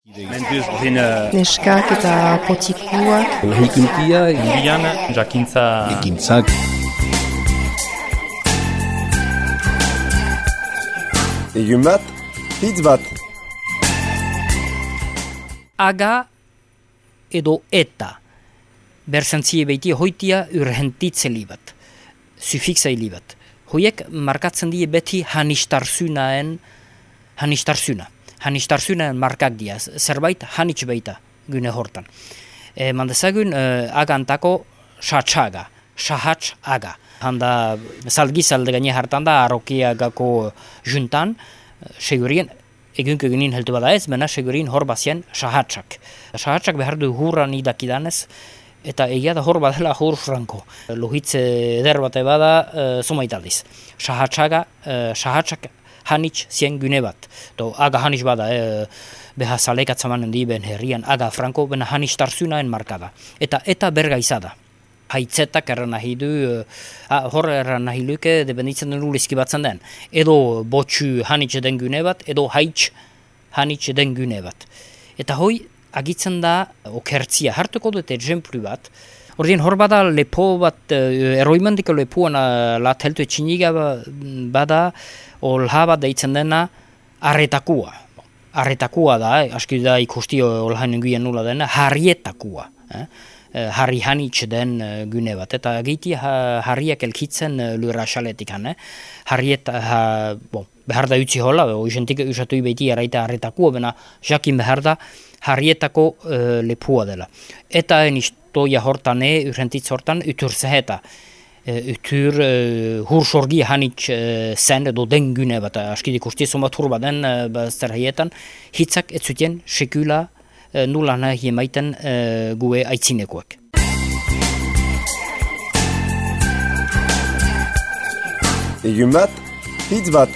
Neskak eta potikuak. Lahikuntia, Irian, jakintza... ekintzak. Egun bat, hitz bat. Aga edo eta. Berzantzie beiti hoitia urhentitzeli bat. Sufikseli bat. Hoiek markatzen die beti hanistarsunaen markak dia. Zerbait hanitz baita gune hortan. Mandezagun agantako sahatz aga. Handa salgizalde gane hartan da arokiagako juntan, segurien egunko egunin heltu bada ez, mena segurien hor bazien sahatzak. Sahatzak behar du hurran idakidanez, eta egia da hor badela hor franko. Lohitze eder bate bada somaitaldiz. Sahatzak hanitz zien gune bat. Aga hanitz bada, beha salekatzamanen di ben herrian aga franko, bena hanitz tarzunaen markada. Eta berga izada. Haitzetak erran nahi du, hor erran nahi luke, dependitzen den ulizki batzen den. Edo botxu hanitz den gune bat, edo haitz hanitz den gune bat. Eta hoi, agitzen da okertzia. Hartuko dut exemplu bat. Ordien hor bada lepo bat, eroimendiko lepuan lat heltu etxiniga bada, olha bat deitzen dena arretakua. Arretakua da, aski da ikusti olhainen guien nula dena, harrietakua. Harri hanitz den gune bat. Eta giti harriak elkitzen lura xaletik. Behar da utzi hola, oizentik usatu ibeti araita arretakua, bena jakin behar da harrietako lepua dela. Eta enistoia hortan, urrentitz hortan, utur zeheta. Utur hursorgi hanitz zen edo den gune bat. Askidik usti somat hurba den bazter haietan, hitzak ez zuten sekula nula nahi emaiten gue aitzinekoak. Egun bat, hitz bat.